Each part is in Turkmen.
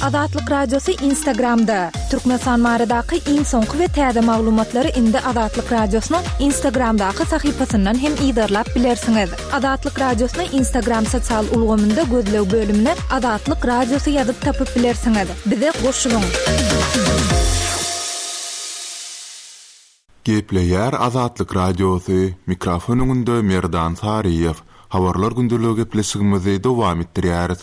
Azatlyk Radiosy Instagramda! Türkmenistan baradaky iň soňky we täze maglumatlary indi Azatlyk Radiosynyň Instagramdaky sahypasyndan hem yzarlap bilersiňiz. Azatlyk Radiosyny Instagram sosial ulgamynda gözleg bölümine Azatlyk Radiosy ýazyp tapyp bilersiňiz. Bize goşulyň! Gepleýär Azatlyk Radiosy, mikrofon öňünde Merdan Saryýew. Habarlar gündeligi gepleşigimizi dowam etdirýäris.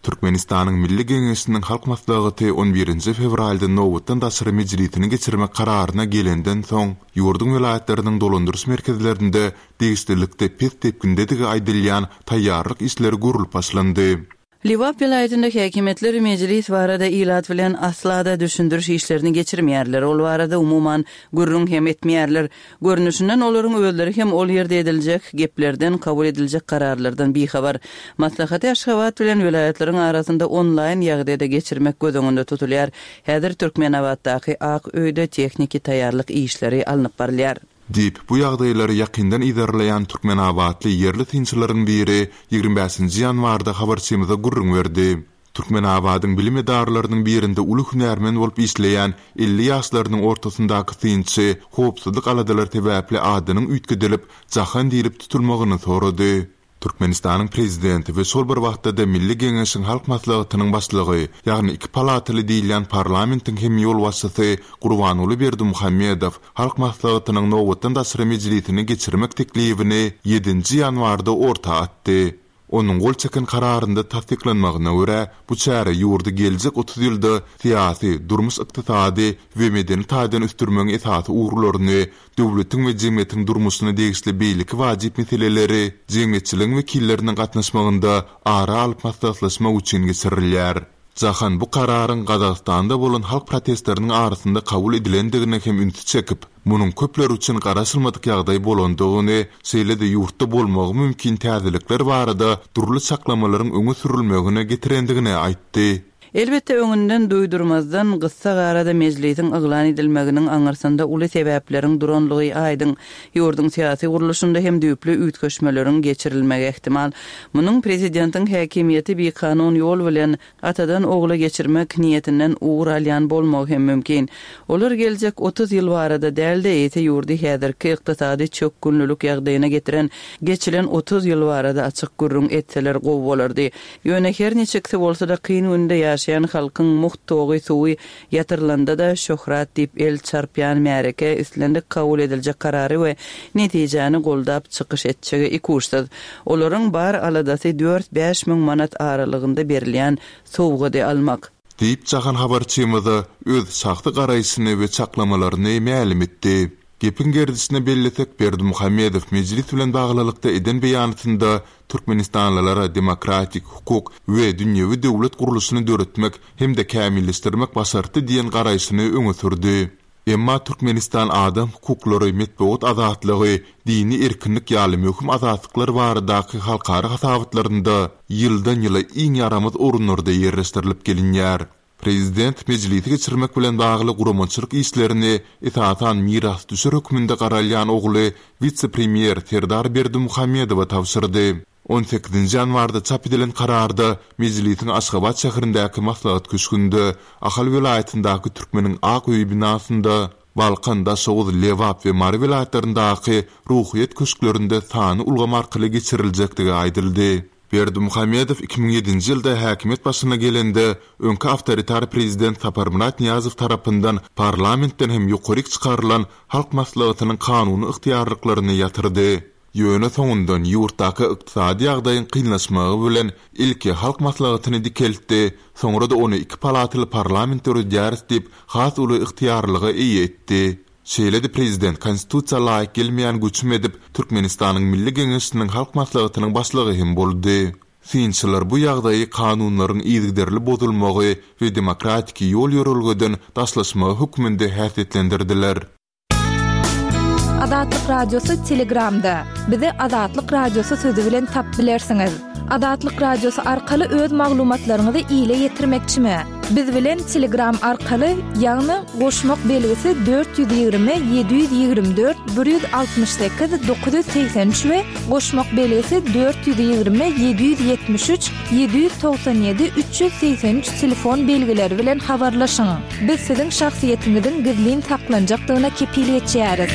Türkmenistanyň Milli Geňeşiniň Halk Maslahaty on birinji fewralda nobatdan daşary mejlisini geçirmek kararyna gelenden soň, ýurduň welaýatlarynyň dolandyryş merkezlerinde degişlilikde pes depgindedigi aýdylýan taýýarlyk işleri görlüp başlandy. Lebap welaýatynda häkimiýetler mejlis barada ilat bilen asla-da düşündiriş işlerini geçirmeýärler, ol barada umuman gürrüň hem etmeýärler. Görnüşinden olaryň özleri hem ol ýerde ediljek geplerden, kabul ediljek kararlardan bihabar. Maslahaty Aşgabat bilen welaýatlaryň arasynda onlaýn ýagdaýda geçirmek göz öňünde tutulýar. Häzir Türkmenabatdaky Ak öýde tehniki taýýarlyk işleri alnyp barylýar. Diýip, bu ýagdaýlary ýakyndan yzarlaýan türkmenabatly ýerli synçylaryň biri 25 bäşinji ýanwarda habarçymyza gürrüň berdi. Türkmenabadyň bilim edaralarynyň birinde uly hünärmen bolup işleýän 50 ýaşlarynyň ortasyndaky synçy howpsuzlyk aladalary sebäpli adynyň üýtgedilip, Jahan diýlip tutulmagyny sorady. Türkmenistanyň Prezidenti we şol bir wagtda-da Milli Geňeşiň Halk Maslahatynyň Başlygy, ýagny iki palataly diýilýän parlamentiň hem ýolbaşçysy Gurbanguly Berdimuhamedow Halk Maslahatynyň nobatdan daşary mejlisini geçirmek teklibini ýedinji ýanwarda orta atdy. Onuň gol çeken kararynda tassyklanmagyna görä, bu çäre ýurdy geljek 30 ýylda syýasy, durmuş-ykdysady we medeni taýdan ösdürmegiň esasy ugurlaryny, döwletiň we jemgyýetiň durmuşyna degişli beýleki wajyp meseleleri jemgyýetçiligiň wekilleriniň gatnaşmagynda ara alyp maslahatlaşmak üçin geçirilýär. Jahan bu kararyň Gazagystanda bolan halk protestleriniň arasynda kabul edilendigine hem ünsi çekip, munuň köpler üçin garaşylmadyk ýagdaý bolandygyny, şeýle-de ýurtda bolmagy mümkin täzelikler barada dürli çaklamalaryň öňe sürülmegine getirendigini aýtdy. Elbetde, öňünden duýdurmazdan, gyssagarada mejlisiň yglan edilmeginiň aňyrsynda uly sebäpleriň duranlygy aýdyň. Ýurduň syýasy gurluşynda hem düýpli üýtgeşmeleriň geçirilmegi ähtimal. Munuň prezidentiň häkimiýeti bikanun ýol bilen atadan ogla geçirmek niýetinden ugur alýan bolmagy hem mümkin. Olar geljek 30 ýyl barada däl-de, eýse ýurdy häzirki ykdysady çökgünlilik ýagdaýyna getiren geçilen 30 ýyl barada açyk gürrüň etseler gowy bolardy. Ýöne her niçiksi bolsa-da kyn günde ýaşaýan halkyň mugt togy, suwy Ýatyrylanda-da şöhrat diýip el çarpýan märeke islendik kabul ediljek karary we netijäni goldap çykyş etjegi ikuçsyz. Olaryň bar aladasy dört-bäş müň manat aralygynda berilýän sowgady almak. Diýip Jahan habarçymyza öz şahsy garaýşyny we çaklamalaryny mälim etdi. Gepiň gerdişine bellesek, Berdimuhamedow mejlis bilen baglylykda eden beýanatynda türkmenistanlylara demokratik, hukuk we dünýewi döwlet gurluşyny döretmek hem-de kämilleşdirmek başartdy diýen garaýşyny öňe sürdi. Emma Türkmenistan adam hukuklary, metbugat azatlygy, dini erkinlik ýaly möhüm azatlyklar baradaky halkara hasabatlarynda ýyldan-ýyla iň ýaramaz orunlarda ýerleşdirilip gelinýär. Prezident mejlisi geçirmek bilen bagly guramaçylyk işlerini esasan mirasdüşer hökmünde garalýan ogly wise-premýer Serdar Berdimuhamedowa tabşyrdy. On sekizinji ýanwarda çap edilen kararda mejlisiň Aşgabat şäherindäki Maslahat köşgünde, Ahal welaýatyndaky Türkmeniň ak öýi binasynda, Balkan, Daşoguz, Lebap we Mary welaýatlaryndaky Ruhyýet köşklerinde sanly ulgam arkaly geçiriljekdigi aýdyldy. Berdimuhamedow 2007-nji ýylda häkimiýet başyna gelende, öňki awtoritar prezident Saparmyrat Nyýazow tarapyndan parlamentden hem ýokaryk çykarylan Halk Maslahatynyň kanuny ygtyýarlyklaryny ýatyrdy. Ýöne soňundan ýurtdaky ykdysady ýagdaýyň kynlaşmagy bilen ilki Halk Maslahatyny dikeltdi, soňra-da ony iki palataly parlament döredýäris diýip, has uly ygtyýarlyga eýe etdi. Şeýle-de prezident Konstitusiýa laýyk gelmeýän göçüm edip, Türkmenistanyň Milli Geňeşiniň Halk Maslahatynyň başlygy hem boldy. Synçylar bu ýagdaýy kanunlaryň yzygiderli bozulmagy we demokratiki ýol-ýörelgeden daşlaşmagy hökmünde häsiýetlendirdiler. Azatlyk Radiosy Telegramda. Bizi Azatlyk Radiosy sözi bilen tap bilersiňiz. Azatlyk Radiosy arkaly öz maglumatlaryňyzy ile ýetirmekçimi? Biz bilen Telegram arkaly, ýagny goşmak belgisi 420 724 168 983 we goşmak belgisi 420 773 797 383 telefon belgileri bilen habarlaşyň. Biz siziň şahsyýetiňiziň gizlin saklanjakdygyna kepil geçýäris.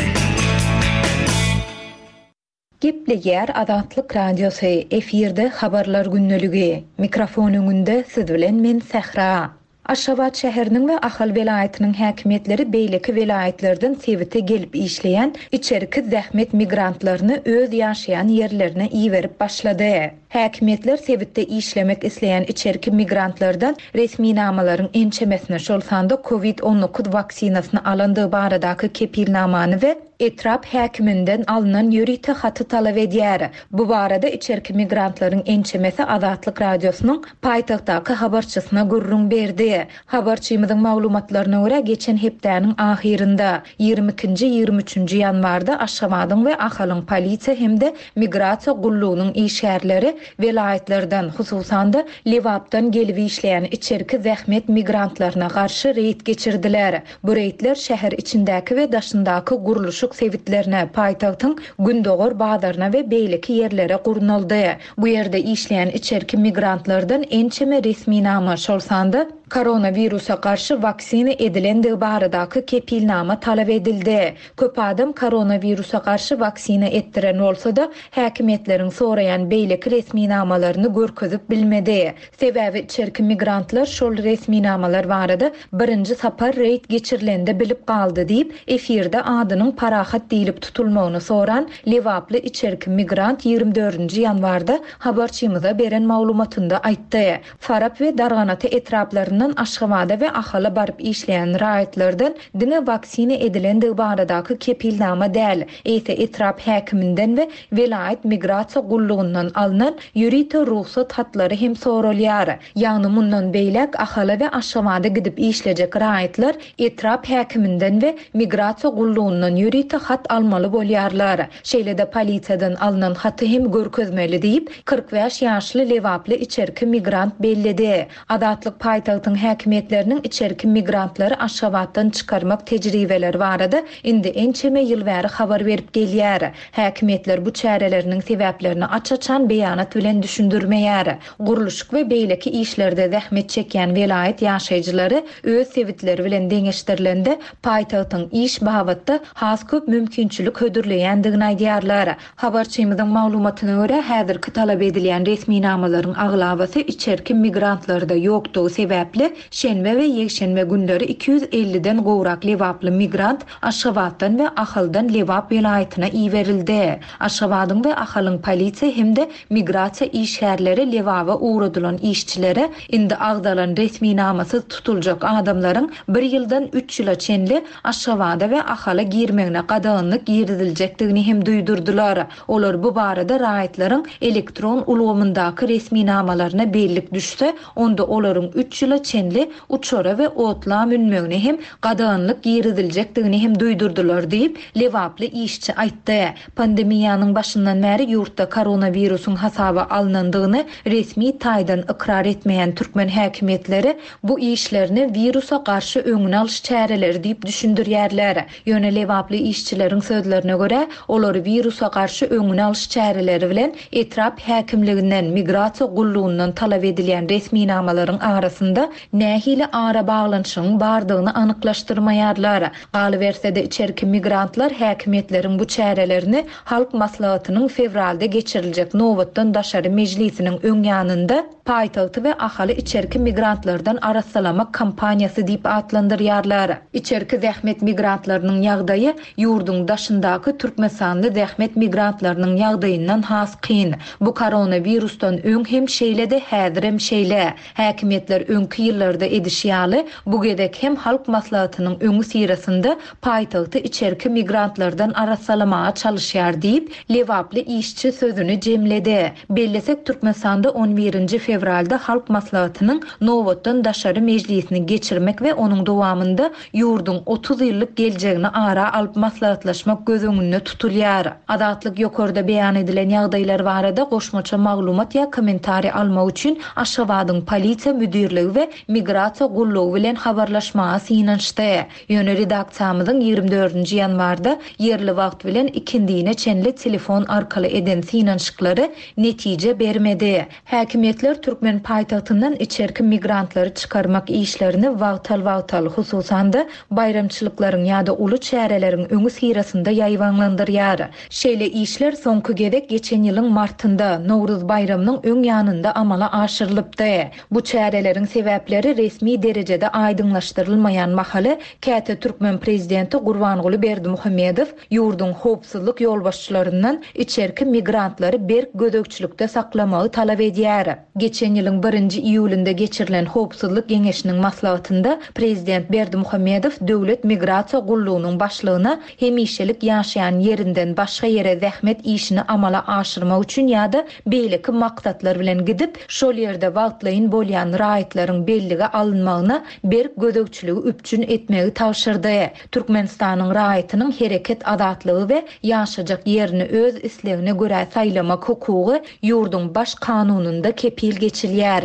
Gepleýär Azatlyk Radiosy, efirde Habarlar gündeligi. Mikrofon öňünde siz bilen men Sähra. Aşgabat şäheriniň we Ahal welaýatynyň häkimiýetleri beýleki welaýatlardan sebite gelip işleýän içerki zähmet migrantlaryny öz ýaşaýan ýerlerine iberip başlady. Häkimiýetler sebitde işlemek isleýän içerki migrantlardan resminamalaryň ençemesini, şol sanda Covid 19 waksinasyny alandygy baradaky kepilnamany we etrap häkiminden alnan ýörite haty talap edýär. Bu barada içerki migrantlaryň ençemesi Azatlyk Radiosynyň paýtagtdaky habarçysyna gürrüň berdi. Habarçymyzyň maglumatlaryna görä, geçen hepdäniň ahyrynda, 22 nji, 23 nji ýanwarda Aşgabadyň we Ahalyň polisiýa hem-de migrasiýa gullugynyň işgärleri welaýatlardan, hususan-da, Lebapdan gelip işleýän içerki zähmet migrantlaryna garşy reýd geçirdiler. Bu reýdler şäher içindäki we daşyndaky gurluşyk sebitlerine, paýtagtyň gündogar bazaryna we beýleki ýerlere gurnaldy. Bu ýerde işleýän içerki migrantlardan ençeme resminama, şol sanda koronawirusa garşy waksina edilendigi baradaky kepilnama talap edildi. Köp adam koronawirusa garşy waksina etdiren bolsa-da, häkimiýetleriň soraýan beýleki resminamalaryny görkezip bilmedi. Sebäbi içerki migrantlar şol resminamalar barada birinji sapar reýd geçirilende bilip galdy diýip, efirde adynyň Parahat diýlip tutulmagyny soran lebaply içerki migrant 24 nji ýanwarda habarçymyza beren maglumatynda aýtdy. Farap we Darganata etraplaryndan Aşgabada we Ahala baryp işleýän raýatlardan diňe waksina edilendigi baradaky kepilnama däl, eýse etrap häkiminden we welaýat migrasiýa gullugyndan alnan ýörite rugsat hatlary hem soralýar. Ýagny mundan beýläk Ahala we Aşgabada gidip işlejek raýatlar etrap häkiminden we migrasiýa gullugyndan ýörite hat almaly bolýarlar. Şeýle-de polisiýadan alnan haty hem görkezmeli diýip, 45 ýaşly lebaply içerki migrant belledi. Azatlyk paýtagtyň häkimiýetleriniň içerki migrantlary Aşgabatdan çykarmak tejribeleri barada indi ençeme ýyl bäri habar berip gelýär. Häkimiýetler bu çäreleriniň sebäplerini aç-açan beýanat bilen düşündirmeýär. Gurluşyk we beýleki işlerde zähmet çekýän welaýat ýaşaýjylary öz sebitleri bilen deňeşdirilende, paýtagtyň iş babatda has köp mümkinçilik hödürleýändigini aýdýarlar. Habarçymyzyň maglumatyna görä, häzirki talap edilýän resminamalaryň aglabasy içerki migrantlarda ýokdugy sebäpli, şenbe we ýekşenbe günleri 250-den gowrak lebaply migrant Aşgabatdan we Ahaldan Lebap welaýatyna iberildi. Aşgabadyň we Ahalyň polisiýa hem-de migrasiýa işgärleri Lebaba ugradylan işçilere indi agzalan resminamasyz tutuljak adamlaryň bir ýyldan üç ýyla çenli Aşgabada we Ahala girmegine gadaganlyk giriziljekdigini hem duýdurdylar. Olar bu barada raýatlaryň elektron ulgamyndaky resminamalaryna bellik düşse, onda olaryň üç ýyla çenli uçara we otla münmegine hem gadaganlyk giriziljekdigini hem duýdurdylar diýip, lebaply işçi aýtdy. Pandemiýanyň başyndan bäri ýurtda koronawirusyň hasaba alnandygyny resmi taýdan ykrar etmeýän türkmen häkimiýetleri bu işlerini wirusa garşy öňüni alyş çäreleri diýip düşündirýärler. Ýöne lebaply işçileriň sözlerine görä, olary wirusa garşy öňüni alyş çäreleri bilen etrap häkimliginden, migrasiýa gullugyndan talap edilýän resminamalaryň arasynda nähili arabaglanyşygyň bardygyny anyklaşdyrmaýarlar. Galyberse-de, içerki migrantlar häkimiýetleriň bu çärelerini Halk Maslahatynyň fewralda geçiriljek nobatdan daşary mejlisiniň öň ýanynda paýtagty we Ahaly içerki migrantlardan arassalamak kampaniýasy diýip atlandyrýarlar. Içerki zähmet migrantlarynyň ýagdaýy ýurduň daşyndaky türkmenistanly zähmet migrantlarynyň ýagdaýyndan has kyn. Bu koronawirusdan öň hem şeýledi, häzirem şeýle. Häkimiýetler öňki ýyllarda edişi ýaly, bu gezek hem Halk Maslahatynyň öňüsyrasynda paýtagty içerki migrantlardan arassalamaga çalyşýar diýip, lebaply işçi sözüni jemledi. Bellesek, Türkmenistanda on birinji fewralda. fewralda Halk Maslahatynyň nobatdan daşary mejlisini geçirmek we onuň dowamynda ýurduň 30 ýyllyk geljegini ara alyp maslahatlaşmak göz öňünde tutulýar. Azatlyk ýokarda beýan edilen ýagdaýlar barada goşmaça maglumat ýa kommentariý almak üçin Aşgabadyň Polisiýa müdirligi we Migrasiýa gullugy bilen habarlaşmaga synanyşdy. Ýöne redaksiýamyzyň ýigrimi dördünji ýanwarda ýerli wagt bilen ikindine çenli telefon arkaly eden synanyşyklary netije bermedi. Häkimiýetler türkmen paýtagtyndan içerki migrantlary çykarmak işlerini wagtal-wagtal, hususan-da, baýramçylyklaryň ýa-da uly çäreleriň öňüsyrasynda ýaýbaňlandyrýar. Şeýle işler soňky gezek geçen ýylyň martynda, Nowruz baýramynyň öň ýanynda amala aşyrylypdy. Bu çäreleriň sebäpleri resmi derejede aýdyňlaşdyrylmaýan mahaly, käte türkmen prezidenti Gurbanguly Berdimuhamedow ýurduň howpsuzlyk ýolbaşçylaryndan içerki migrantlary berk gözegçilikde saklamagy talap edýär. Geçen ýylyň birinji iýulynda geçirilen Howpsuzlyk geňeşiniň maslahatynda prezident Berdimuhamedow Döwlet migrasiýa gullugynyň başlygyna hemişelik ýaşaýan ýerinden başga ýere zähmet işini amala aşyrmak üçin ýa-da beýleki maksatlar bilen gidip, şol ýerde wagtlaýyn bolýan raýatlaryň bellige alynmagyna berk gözegçiligi üpjün etmegi tabşyrdy. Türkmenistanyň raýatynyň hereket azatlygy we ýaşajak ýerini öz islegine görä saýlamak hukugy ýurduň Baş Kanunynda kepil geçilýär.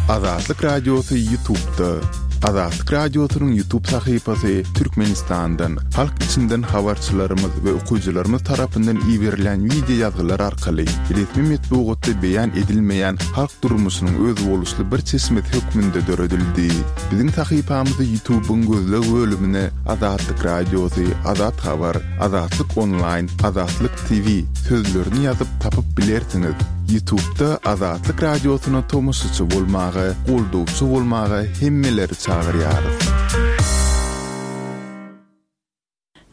Azatlyk Radiosy Ýutubda. Azatlyk Radiosynyň Ýutub sahypasy Türkmenistandan, halk içinden habarçylarymyz we okyjylarymyz tarapyndan iberilen wideo ýazgylar arkaly resmi metbugatda beýan edilmeýän halk durmuşynyň özboluşly bir çeşmesi hökmünde döredildi. Biziň sahypamyzy Ýutubyň gözleg bölümine Azatlyk Radiosy, Azat Habar, Azatlyk Onlaýn, Azatlyk TV sözlerini ýazyp tapyp bilersiňiz. Ýutubda Azatlyk Radiosyna tomaşaçy bolmaga, goldawçy bolmaga hemmeleri çagyrýarys.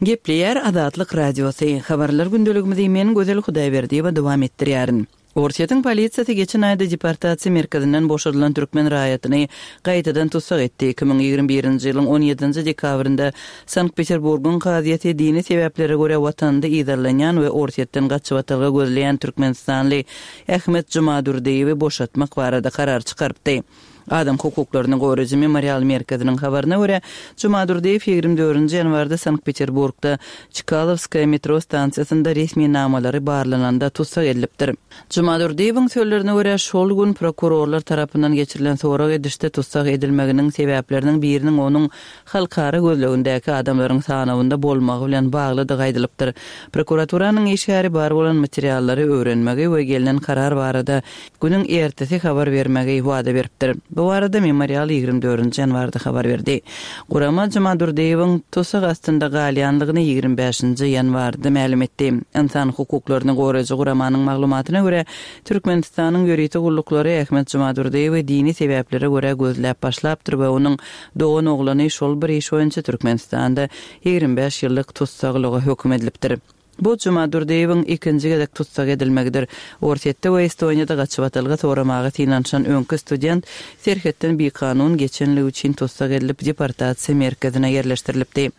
Gepleýär Azatlyk Radiosy, Habarlar gündeligimizi men Gözel Hudaýberdiýewa dowam etdirýärin. Orsýetiň polisiýasy geçen aýda deportasiýa merkezinden boşadylan türkmen raýatyny gaýtadan tussag etdi. 2021-nji ýylyň on ýedinji dekabrynda Sankt-Peterburgyň kazyýeti dini sebäplere görä watanynda yzarlanýan we Orsýetden gaçybatalga gözleýän türkmenistanly Ahmet Jumadurdyýewi boşatmak barada karar çykarypdy. Adam hukuklaryny goraýjy Memorial merkeziniň habaryna görä, Jumadurdyýew 24-nji ýanwarda Sankt-Peterburgda Çkalowskaýa metro stansiýasynda resminamalary barlananda tussag edilipdir. Jumadurdyýewiň sözlerine görä, şol gün prokurorlar tarapyndan geçirilen sorag edişde tussag edilmeginiň sebäpleriniň biriniň onuň halkara gözlegindäki adamlaryň sanawynda bolmagy bilen baglydygy aýdylypdyr. Prokuraturanyň işgäri bar bolan materiallary öwrenmegi we gelnen karar barada günüň ertesi habar bermegi wada beripdir. Bu barada Memorial 24-nji ýanwarda habar berdi. Gurama Jumadurdyýewiň tussag astynda galýandygyny 25-nji ýanwarda mälim etdi. Ynsan hukuklaryny goraýjy guramanyň maglumatyna görä, Türkmenistanyň ýörite gulluklary Ahmet Jumadurdyýewi dini sebäplere görä gözläp başlapdyr we onuň doganoglany şol bir iş boýunça Türkmenistanda 25 ýyllyk tussaglyga höküm edilipdir. Bu Jumadurdyýewiň ikinji gezek tussag edilmegidir. Orsýetde we Estoniýada gaçybatalga soramaga synanyşan öňki student serhetden bikanun geçenligi üçin tussag edilip, deportasiýa merkezine ýerleşdirilipdi.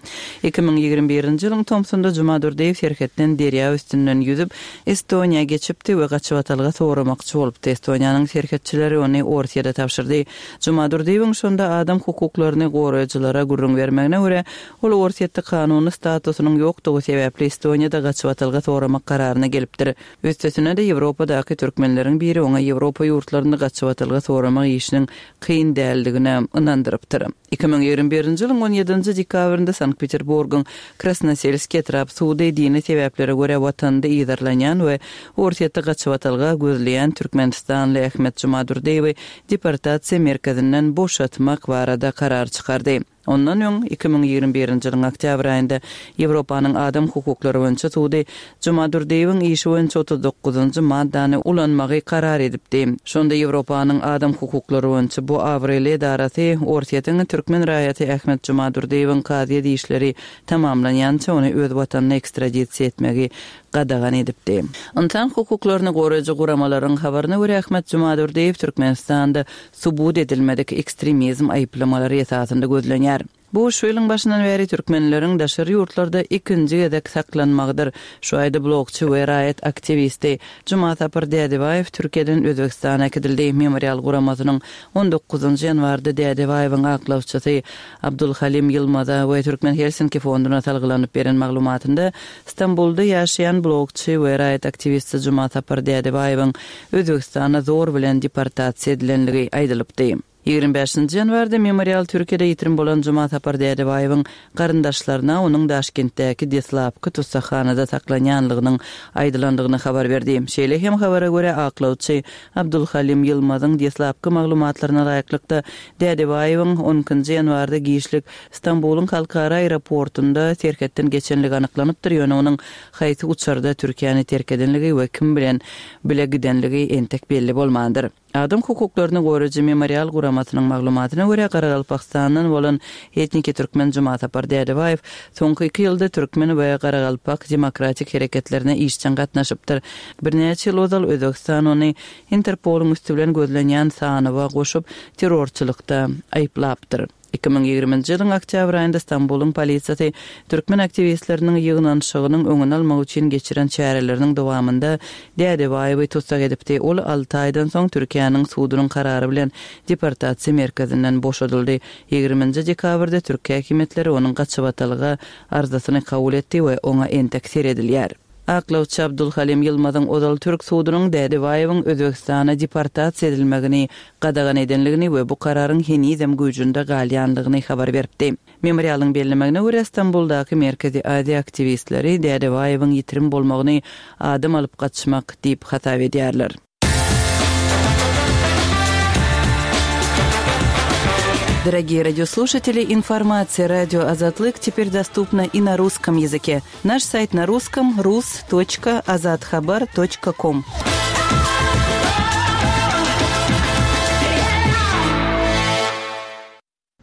2021-nji ýylyň tomsunda Jumadurdyýew serhetden derýa üstünden ýüzüp, Estoniýa geçipdi we gaçybatalga soramakçy bolupdy. Estoniýanyň serhetçileri ony Orsýede tabşyrdy. Jumadurdyýewiň şonda adam hukuklaryny goraýjylara gürrüň bermegine görä, Ol Orsýetde kanuny statusynyň ýokdugy sebäpli Estoniýada gaçybatalga soramak kararyna gelipdir. Üstesine-de Ýewropadaky türkmenleriň biri oňa Ýewropa ýurtlarynda gaçybatalga soramak işiniň kyn däldigine ynandyrypdyr. 2021-nji ýylyň on ýedinji dekabrynda Sankt-Peterburgyň Krasnoselskiý etrap sudy dini sebäplere görä watanynda yzarlanýan we Orsýetde gaçybatalga gözleýän türkmenistanly Ahmet Jumadurdyýewi deportasiýa merkezinden boşatmak barada karar çykardy. Ondan öň, 2021-nji ýylyň oktýabr aýynda Ýewropanyň Adam hukuklary boýunça sudy Jumadurdyýewiň işi boýunça 39-njy maddany ulanmagy karar edipdi. Şonda Ýewropanyň Adam hukuklary boýunça bu abraýly edarasy Orsýetiň türkmen raýaty Ahmet Jumadurdyýewiň kazyýet işleri tamamlanýança ony öz watanyna ekstradisiýa etmegi gadagan edipdi. Ynsan hukuklaryny goraýjy guramalaryň habaryna görä, Ahmet Jumadurdyýew Türkmenistanda subut edilmedik ekstremizm aýyplamalary esasynda gözlenýär. aýdylýar. Bu şu ýylyň başyndan bäri türkmenleriň daşary ýurtlarda ikinji gezek saklanmagydyr. Şu aýda blogçy we raýat aktiwisti Jumasapar Dädebaýew Türkiýeden Özbegistana äkidildi. Memorial guramasynyň on dokuzynjy ýanwarda Dädebaýewiň aklawçysy Abdulhalim Ýylmaza we Türkmen Helsinki fonduna salgylanyp beren maglumatynda Stambulda ýaşaýan blogçy we raýat aktiwisti Jumasapar Dädebaýewiň Özbegistana zor bilen deportasiýa edilenligi aýdylypdy. 25-nji ýanwarda Memorial Türkiýede ýitirim bolan Jumasapar Dädebaýewiň garyndaşlaryna onuň Daşkentdäki deslapky tussaghanada saklanýanlygynyň aýdylandygyny habar berdi. Şeýle hem habara görä, aklawçy Abdulhalim Ýylmazyň deslapky maglumatlaryna laýyklykda, Dädebaýewiň on ikinji ýanwarda giçlik Stambulyň halkara aeroportunda serhetden geçenligi anyklanypdyr, ýöne onuň haýsy uçarda Türkiýäni terk edenligi we kim bilen bile gidenligi entek belli bolmandyr. Adam hukuklaryny goraýjy Memorial guramasynyň maglumatyna görä, Garagalpagystandan bolan etniki türkmen Jumasapar Dädebaýew soňky iki ýylda türkmen we garagalpak demokratik hereketlerine işjeň gatnaşypdyr. Birnäçe ýyl ozal Özbegistan ony Interpolyň üsti bilen gözlenýän sanawa goşup, terrorçylykda aýyplapdyr. 2020-nji ýylyň oktýabr aýynda Stambulyň polisiýasy türkmen aktiwistleriniň ýygnanyşygynyň öňüni almak üçin geçiren çäreleriniň dowamynda Dädebaýewi tussag edipdi. Ol alty aýdan soň Türkiýäniň sudunyň karary bilen deportasiýa merkezinden boşadyldy. Ýigriminji dekabrda türk häkimiýetleri onuň gaçybatalga arzasyny kabul etdi we oňa entek seredilýär. Aklawçy Abdulhalim Ýylmazyň ozal türk sudunyň Dädebaýewiň Özbegistana deportasiýa edilmegini gadagan edenligini we bu kararyň henizem güýjünde galýanlygyny habar beripdi. Memorialyň bellemegine görä, Stambuldaky Merkezi Aziýa aktiwistleri Dädebaýewiň ýitirim bolmagyny adam alyp gaçmak diýip hasap edýärler. Дорогие радиослушатели, информация радио Азатлык теперь доступна и на русском языке. Наш сайт на русском rus.azathabar.com.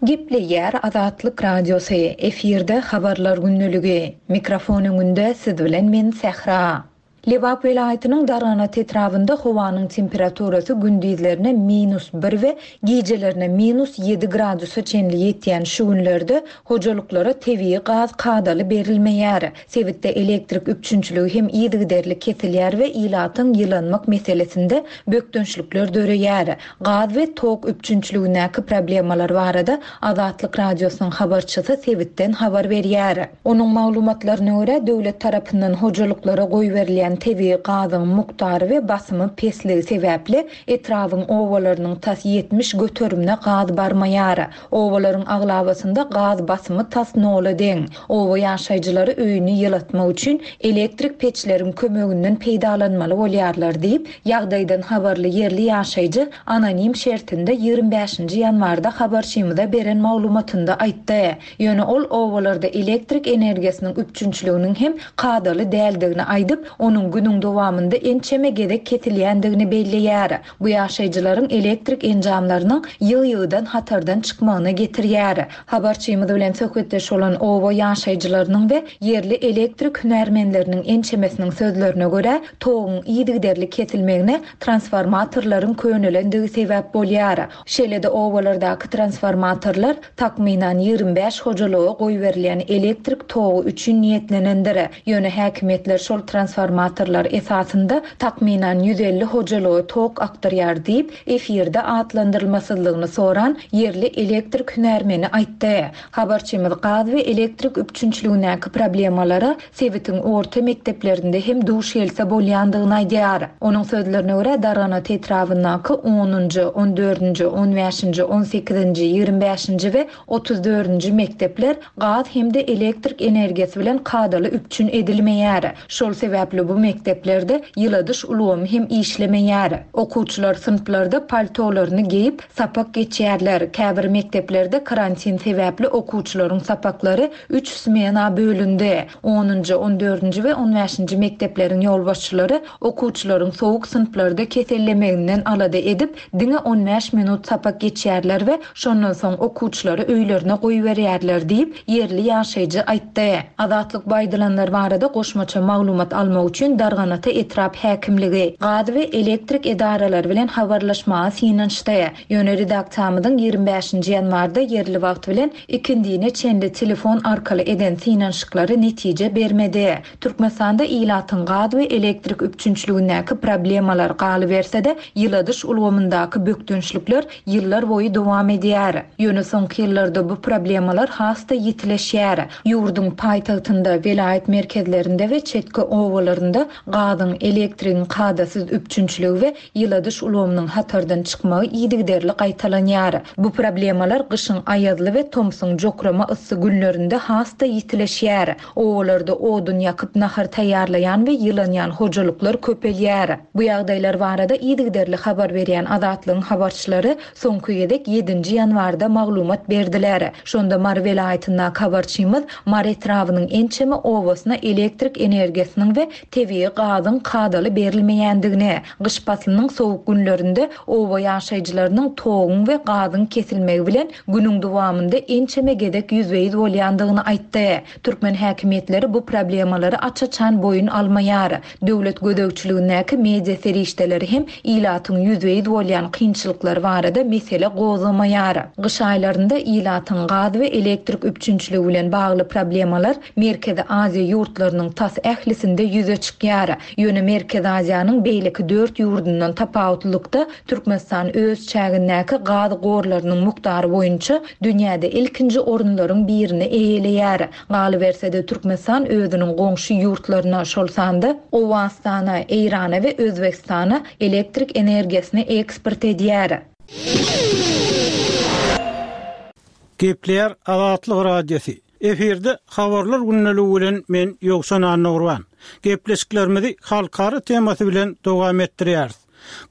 Gepleýär Azatlyk Radiosy, efirde Habarlar gündeligi. Mikrofon öňünde siz bilen men Sähra. Lebap welaýatynyň Darganat etrabynda howanyň temperaturasy gündizlerine minus bir we gijelerine minus ýedi gradusa çenli ýetýän şu günlerde hojalyklara tebigy gaz kadaly berilmeýär. Sebitde elektrik üpjünçiligi hem yzygiderli kesilýär we ilatyň ýylanmak meselesinde bökdençlikler döreýär. Gaz we tok üpjünçiligindäki problemalar barada Azatlyk Radiosynyň habarçysy sebitden habar berýär. Onuň maglumatlaryna görä, döwlet tarapyndan hojalyklara goýberilýän tebigy gazyň mukdary we basymy pesligi sebäpli, etrabyň obalarynyň tas 70 göterimine gaz barmaýar. Obalaryň aglabasynda gaz basymy tas nola deň. Oba ýaşaýjylary öýüni ýylatmak üçin elektrik peçleriň kömeginden peýdalanmaly bolýarlar diýip, ýagdaýdan habarly ýerli ýaşaýjy anonim şertinde 25-nji ýanwarda habarçymyza beren maglumatynda aýtdy. Ýöne ol obalarda elektrik energiýasynyň üpjünçiliginiň hem kadaly däldigini aýdyp, onuň günüň dowamynda ençeme gezek kesilýändigini belleýär. Bu ýaşaýjylaryň elektrik enjamlarynyň ýygy-ýygydan hatardan çykmagyna getirýär. Habarçymyz bilen söhbetdeş bolan oba ýaşaýjylarynyň we ýerli elektrik hünärmenleriniň ençemesiniň sözlerine görä, toguň yzygiderli kesilmegine transformatorlaryň könelendigi sebäp bolýar. Şeýle-de obalardaky transformatorlar takmynan 25 hojalyga goýberilýän elektrik togy üçin niýetlenendir. Ýöne häkimiýetler şol transformatorlar esasynda takmynan 150 hojalyga tok akdyrýar diýip, efirde atlandyrylmasyzlygyny soran ýerli elektrik hünärmeni aýtdy. Habarçymyz gaz we elektrik üpjünçiligindäki problemalara sebitiň orta mekdeplerinde hem duş gelse bolýandygyny aýdýar. Onuň sözlerine görä, Darganata etrabyndaky onunjy, on dördünji, on bäşinji, on sekizinji, 25-nji we 34-nji mekdepler gaz hem-de elektrik energiýasy bilen kadaly üpjün edilmeýär. Şol sebäpli bu mekdeplerde ýyladyş ulgamy hem işlemeýär. Okuwçylar synplarda paltolaryny geýip, sapak geçýärler. Käbir mekdeplerde karantin sebäpli okuwçylaryň sapaklary üç smena bölündi. Onunjy, on dördünji we on bäşinji mekdepleriň ýolbaşçylary okuwçylaryň sowuk synplarda kesellemeginden alada edip, diňe on bäş minut sapak geçýärler we şondan soň okuwçylary öýlerine goýberýärler diýip, ýerli ýaşaýjy aýtdy. Azatlyk bu aýdylanlar barada goşmaça maglumat almak üçin. üçin Darganata etrap häkimligi, gaz we elektrik edaralary bilen habarlaşmaga synanyşdy. Ýöne redaksiýamyzyň 25-nji ýanwarda ýerli wagt bilen ikindine çenli telefon arkaly eden synanyşyklary netije bermedi. Türkmenistanda ilatyň gaz we elektrik üpjünçiligindäki problemalar, galyberse-de, ýyladyş ulgamyndaky bökdençlikler ýyllar boýy dowam edýär. Ýöne soňky ýyllarda bu problemalar has-da ýitileşýär. Ýurduň paýtagtynda, welaýat merkezlerinde we çetki obalarynda gazyň, elektrigiň kadasyz üpjünçiligi we ýyladyş ulgamynyň hatardan çykmagy yzygiderli gaýtalanýar. Bu problemalar gyşyň aýazly we tomsuň jokrama yssy günlerinde has-da ýitileşýär. Obalarda odun ýakyp nahar taýýarlaýan we ýylanýan hojalyklar köpelýär. Bu ýagdaýlar barada yzygiderli habar berýän Azatlygyň habarçylary soňky gezek ýedinji ýanwarda maglumat berdiler. Şonda Mary welaýatyndaky habarçymyz Mary etrabynyň ençeme obasyna elektrik energiýasynyň we tebigy gazyň kadaly berilmeýändigini, gyş paslynyň sowuk günlerinde oba ýaşaýjylarynyň toguň we gazyň kesilmegi bilen günüň dowamynda ençeme gezek ýüzbe-ýüz bolýandygyny aýtdy. Türkmen häkimiýetleri bu problemalary aç-açan boýun almaýar. Döwlet gözegçiligindäki media serişdeleri hem ilatyň ýüzbe-ýüz bolýan kynçylyklary barada mesele gozgamaýar. Gyş aýlarynda ilatyň gaz we elektrik üpjünçiligi bilen bagly problemalar Merkezi Aziýa ýurtlarynyň tas ählisinde ýüze çykýar. Ýöne Merkezi Aziýanyň beýleki dört ýurdundan tapawutlylykda, Türkmenistan öz çägindäki gaz gorlarynyň mukdary boýunça dünýäde ilkinji orunlaryň birini eýeleýär. Galyberse-de, Türkmenistan özüniň goňşy ýurtlaryna, şol sanda Owganystana, Eýrana we Özbegistana elektrik energiýasyny eksport edýär. Gepleýär Azatlyk Radiosy. Efirde Habarlar gündeligi bilen men Ýowşan Annagurban. Gepleşiklerimizi halkara temasy bilen dowam etdirýäris.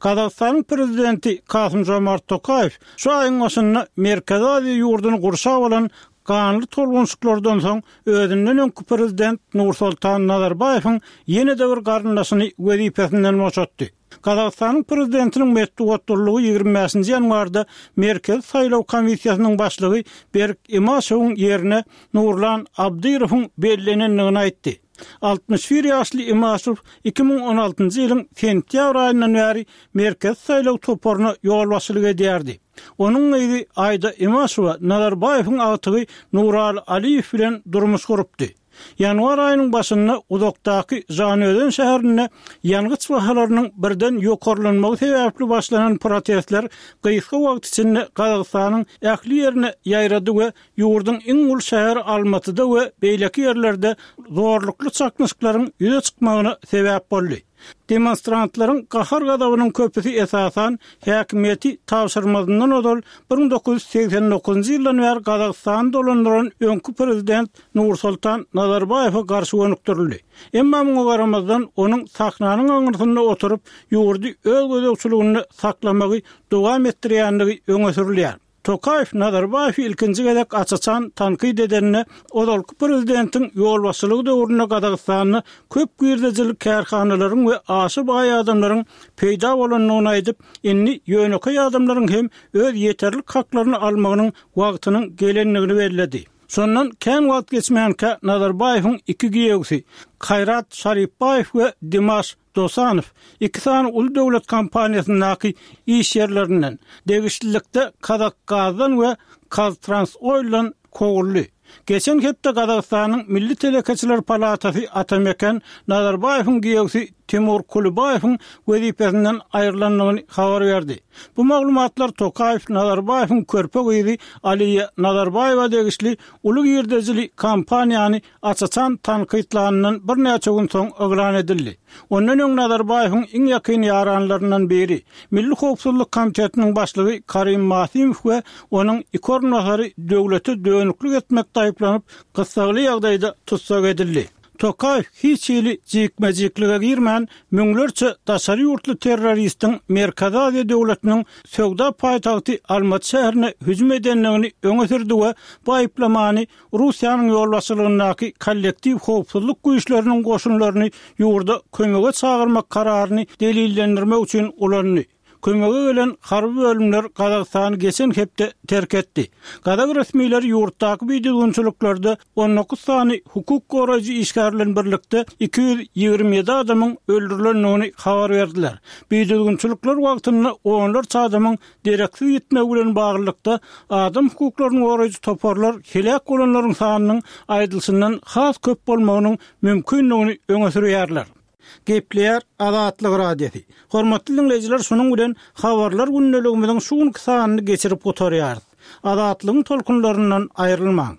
Gazagystanyň Prezidenti Kasym-Žomart Tokaýew şu aýyň başynda Merkezi Aziýa ýurduny gurşap alan ganly tolgunşyklardan soň özünden öňki Prezident Nursoltan Nazarbaýewiň ýene-de bir garyndaşyny wezipesinden boşatdy. Gazagystanyň Prezidentiniň metbugat gullugy 25-nji ýanwarda Merkezi saýlaw komissiýasynyň başlygy Berik Imaşewiň ýerine Nurlan Abdyrowyň bellenendigini aýtdy. 61 ýaşly Imaşew 2016-njy ýylyň sentýabr aýyndan bäri Merkezi saýlaw toparyna ýolbaşçylyk edýärdi. Onuň gyzy Aýda Imaşewa Nazarbaýewiň agtygy Nuraly Aliýew bilen durmuş gurupdy. Ýanwar aýynyň başynda uzakdaky Žanözen şäherinde ýangyç bahalarynyň birden ýokarlanmagy sebäpli başlanan protestler gysga wagt içinde Gazagystanyň ähli ýerine ýaýrady we ýurduň iň uly şäheri Almatyda we beýleki ýerlerde zorlukly çaknyşyklaryň ýüze çykmagyna sebäp boldy. Demonstrantlaryň gahar-gazabynyň köpüsi esasan häkimiýeti tabşyrmazyndan ozal 1989-njy ýyldan bäri Gazagystany dolandyran öňki prezident Nursultan Nazarbaýewe garşy gönükdirildi. Emma muňa garamazdan, onuň sahnanyň aňyrsynda oturyp, ýurdy öz gözegçiliginde saklamagy dowam etdirýändigi öňe sürülýär. Tokaýew Nazarbaýewi ilkinji gezek aç-açan tankyt edende, ozalky prezidentiň ýolbaşçylygy döwründe Gazagystanda köp girdejili kärhanalaryň we aşa baý adamlaryň peýda bolandygyny aýdyp, indi ýönekeý adamlaryň hem öz ýeterlik haklaryny almagynyň wagtynyň gelendigini belledi. Şondan kän wagt geçmänkä Nazarbaýewiň iki giýewsi, Kaýrat Şaripbaýew we Dimaş Dosanow iki sany uly döwlet kompaniýasyndaky iş ýerlerinden, degişlilikde Kazakgazdan we KazTransOildan kowuldy. Geçen hepde Gazagystanyň Milli telekeçiler palatasy Atameken Nazarbaýewiň giýewsi Timur Kulibaýewiň wezipesinden aýrylandygyny habar berdi. Bu maglumatlar Tokaýew Nazarbaýewiň körpe gyzy Aliýa Nazarbaýewa degişli uly girdejili kompaniýany aç-açan tankytlanyndan birnäçe gün soň yglan edildi. Ondan öň Nazarbaýewiň iň ýakyn ýaranlaryndan biri, Milli howpsuzlyk komitetiniň başlygy Karim Masimow we onuň iki orunbasary döwlete dönüklik etmekde aýyplanyp, gyssagly ýagdaýda tussag edildi. Tokaýew hiç hili jikme-jiklige girmän, müňlerçe daşary ýurtly terroristiň Merkezi Aziýa döwletiniň söwda paýtagty Almaty şäherine hüjüm edendigini öňe sürdi we bu aýyplamany Russiýanyň ýolbaşçylygyndaky kollektiw howpsuzlyk güýçleriniň goşunlaryny ýurda kömege çagyrmak kararyny delillendirmek üçin ulandy. Kömege gelen harby bölümler Gazagystany geçen hepde terk etdi. Gazak resmileri ýurtdaky bidüzgünçiliklerde 19 sany hukuk goraýjy işgär bilen birlikde 227 adamyň öldürilendigini habar berdiler. Bidüzgünçilikler wagtynda onlarça adamyň dereksiz ýitmegi bilen baglylykda, adam hukuklaryny goraýjy toparlar heläk bolanlaryň sanynyň aýdylyşyndan has köp bolmagynyň mümkindigini öňe sürýärler. Gepleýär Azatlyk Radiosy. Hormatly diňleýjiler şunuň bilen Habarlar gündeligimiziň şu günki sanyny geçirip gutarýarys. Azatlygyň tolkunlaryndan aýrylmaň.